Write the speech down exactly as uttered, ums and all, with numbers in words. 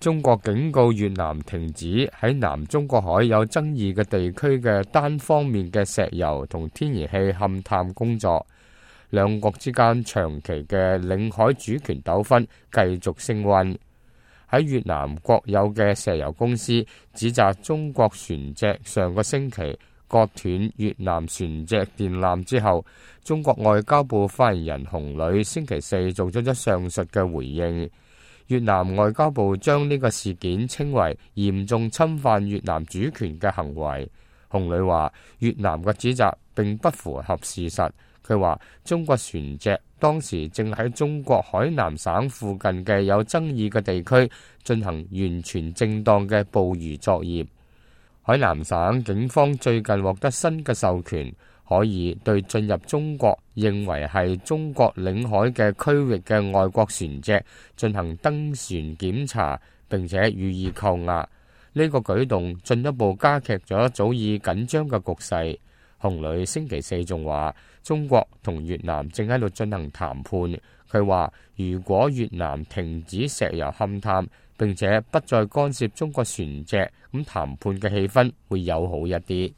中國警告越南停止喺南中國海有爭議嘅地區嘅單方面嘅石油同天然氣勘探工作。兩國之間長期嘅領海主權糾紛繼續升溫。喺越南國有嘅石油公司指責中國船隻上個星期割斷越南船隻電纜之後，中國外交部發言人洪磊星期四做咗咗上述嘅回應。越南外交部將呢個事件稱為嚴重侵犯越南主權嘅行為。洪磊話：越南嘅指責並不符合事實。佢話中國船隻當時正喺中國海南省附近嘅有爭議嘅地區進行完全正當嘅捕魚作業。海南省警方最近獲得新嘅授權，可以對進入中國認為係中國領海嘅區域嘅外國船隻進行登船檢查，並且予以扣押。呢個舉動進一步加劇咗早已緊張嘅局勢。洪磊星期四仲話，中國同越南正喺度進行談判。佢話，如果越南停止石油勘探，並且不再干涉中國船隻，咁談判嘅氣氛會友好一啲。